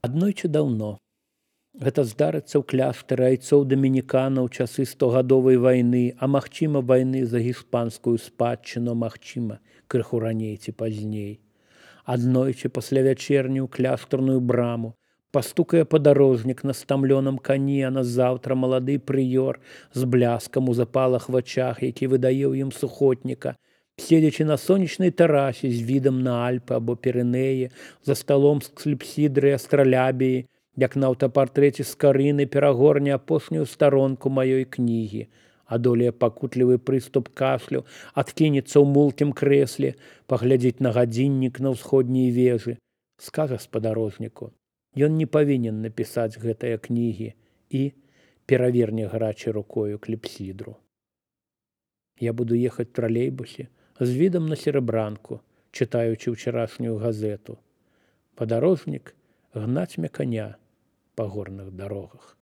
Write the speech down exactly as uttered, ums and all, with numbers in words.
Аднойчы даўно. Гэта здарыцца ў кляштары айцоў дамініканаў у часы стогадовай вайны, а магчыма вайны за гіспанскую спадчыну, магчыма, крыху раней ці пазней. Аднойчы пасля вячэрні ў кляштарную браму пастукае падарожнік на стамлёным кані, а назаўтра малады прыёр з бляскам у запалах вачах, які выдае ў ім сухотніка, седзячы на сонечнай тэрасе з відам на Альпы або Пірэнеі, за сталом з кліпсідры і астралябіі, як на аўтапартрэце з Карыны перагорне апошнюю старонку маёй кнігі, адолее пакутлівы прыступ кашлю, адкінецца ў мулкім крэсле, паглядзець на гадзіннік на ўсходняй вежы, скажа спадарожніку. Ён не павінен напісаць гэтыя кнігі і пераверне гарачай рукою кліпсідру. Я буду ехаць в тралейбусе з відам на серабранку, чытаючы ўчарашнюю газету. Падарожнік гнаць мне каня па горных дарогах.